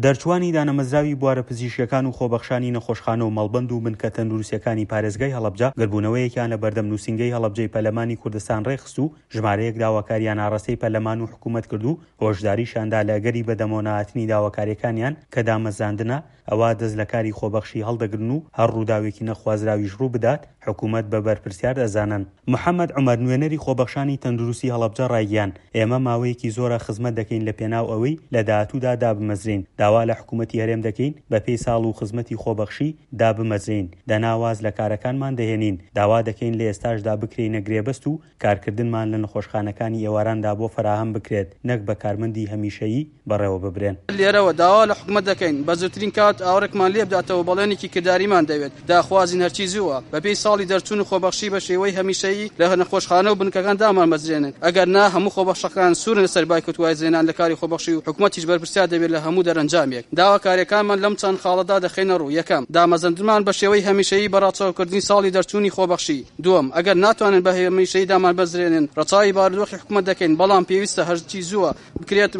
دەرچووانی دانەمەزراوی بوارە پزیشکیەکان و خۆبەخشانی نەخۆشخانە و مەڵبەند و بنکە تەندروستیەکانی پارێزگای هەڵەبجە گردبوونەوەیەکیان لە بەردەم نووسینگەی هەڵەبجەی پەرلەمانی کوردستان ڕێکخست و ژمارەیەک داواکاریان ئاڕاستەی پەرلەمان و حکوومەت کرد و هۆشداریشیان دا لە ئەگەری بەدەمەوەنەهاتنی داواکاریەکانیان کە دامەزراندنە ئەوا دەست لە کاری خۆبەخشی هەڵدەگرن و هەر ڕووداوێکی نەخوازراویش ڕوو بدات حکوومەت بە بەرپرسیار دەزانن. محەمەد عومەر نوێنەری خۆبەخشانی تەندروستی هەڵەبجە ڕایگەیاند، ئێمە ماوەیەکی زۆرە خزمەت دەکەین لە پێناو ئەوەی لە داهاتوودا دابمەزرێین، داوا لە حکوومەتی هەرێم دەکەین بەپێی ساڵ و خزمەتی خۆبەخشی دابمەزرێین، دەنا واز لە کارەکانمان دەهێنین، داوا دەکەین لە ئێستاشدا بکرێینە گرێبەست و کارکردنمان لە نەخۆشخانەکانی ئێواراندا بۆ فەراهەم بکرێت نەک بە کارمەندی هەمیشەیی بەڕێوە ببرێن. لێرەوە داوا لە حکومەت دەکەین بە زووترین کات ئاوڕێکمان لێ بداتەوە بەڵێنێکی کرداریمان دەوێت، داخوازین هەرچی زووە بەپێی ساڵی دەرچوون و خۆبەخشی بە شێوەی هەمیشەیی لە نەخۆشخانە و بنکەکان دامانمەزرێنن، ئەگەر نا هەموو خۆبەخشەکان سوورن لەسەر بایکۆت وازهێنان لە کاری خۆبەخشی و حکومەتیش بەرپرسیار دەبێت لە هەموو دەرەنجامێک. داواکارییەکانمان لەم چەند خاڵەدا دەخەینە ڕوو، یەکەم، دامەزرندنمان بە شێوەی هەمیشەیی بە ڕەچاوکردنی ساڵی دەرچوونی خۆبەخشی. دووەم، ئەگەر ناتوانن بە هەمیشەیی دامانبەزرێنن، ڕەچاوی بارودۆخی حکومەت دەکەین، بەڵام پێویستە هەرچی زووە بکرێت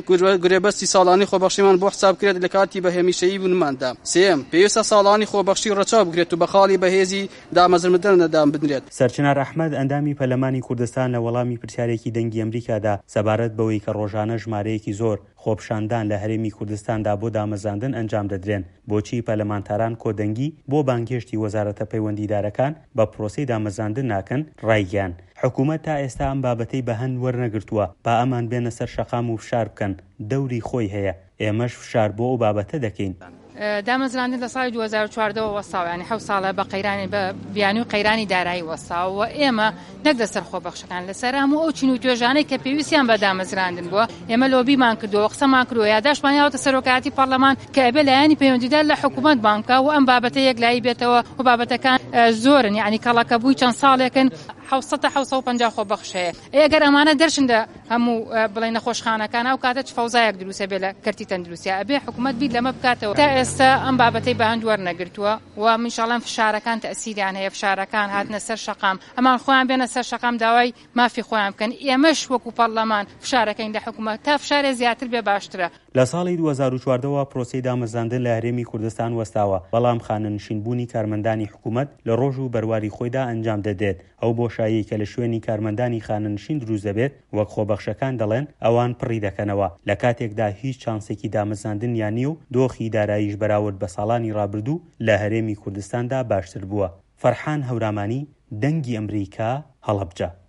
گرێبەستی ساڵانەی خۆبەخشیمان بۆ حساب بکرێت لە کاتی بە هەمیشەیی بوونماندا. سێیەم، پێویستە ساڵانی خۆبەخشی ڕەچاو بکرێت و بە خاڵی بەهێزی دامەزرندن دابنرێت. سەرچنار ئەحمەد، ئەندامی پەرلەمانی کوردستان لە وەڵامی پرسیارێکی دەنگی ئەمریکادا سەبارەت بەوەی کە ڕۆژانە ژمارەیەکی زۆر خۆپیشاندان لە هەرێمی کوردستاندا بۆ دامەزراندن ئەنجام دەدرێن، بۆچی پەرلەمانتاران کۆدەنگی بۆ بانگهێشتی وەزارەتە پەیوەندیدارەکان بە پرۆسەی دامەزراندن ناکەن، ڕایگەیاند، حکومەت تا ئێستا ئەم بابەتەی بە هەند وەرنەگرتووە، با ئەمان بێنە سەر شەقام و فشار بکەن، دەوری خۆی هەیە، ئێمەش فشار بۆ ئەو بابەتە دەکەین. دامەزراندن لە ساڵی 2014 وە وەستاوە یانی حەوت ساڵە بە قەیرانی بە بیانووی قەیرانی دارایی وەستاوە و ئێمە نەک لەسەر خۆبەخشەکان لەسەر هەموو ئەو چین و توێژانەی کە پێویستیان بە دامەزراندن بووە ئێمە لۆبیمان کردووە قسەمان کردووە یاداشتمان یاوەتە سەرۆکایەتی پەرلەمان کە ئەبێ لایەنی پەیوەندیدار لە حکوومەت بانگ بکا و ئەم بابەتە یەکلایی بێتەوە و بابەتەکان زۆرن یانی کەڵەکەبووی چەند ساڵێکن 700 تا 750 خۆبەخش هەیە ئەی ئەگەر ئەمانە دەرچن لە هەموو بڵێن نەخۆشخانەکان ئەو کاتە چ فەوزایەک دروست ئەبێ لە کەرتی تەندروستیا ئەبێ حکوومەت بیر لەمە بکاتەوە تا ئێستا ئەم بابەتەی بە هەند وەرنەگرتووە و منیش ئەڵێم فشارەکان تەئسیریان هەیە فشارەکان هاتنە سەر شەقام ئەمان خۆیان بێنە سەر شەقام داوای مافی خۆیان بکەن ئێمەش وەکو پەڕلەمان فشارەکەین لە حکومەت تا فشارێ زیاتر بێ باشترە. لە ساڵی 2014 وە پرۆسەی دامەزراندن لە هەرێمی کوردستان وەستاوە، بەڵام خانەنشین بوونی کارمەندانی حکومەت لە ڕۆژ و بەرواری خۆیدا ئەنجام دەدرێت، ئەو بۆشاییەی کە لە شوێنی کارمەندانی خانەنشین دروست دەبێت وەک خۆبەخشەکان دەڵێن ئەوان پڕی دەکەنەوە، لە کاتێکدا هیچ چانسێکی دامەزراندنیان نییە و دۆخی داراییش بەراورد بە ساڵانی ڕابردوو لە هەرێمی کوردستاندا باشتر بووە. فەرحان هەورامانی، دەنگی ئەمریکا، هەڵەبجە.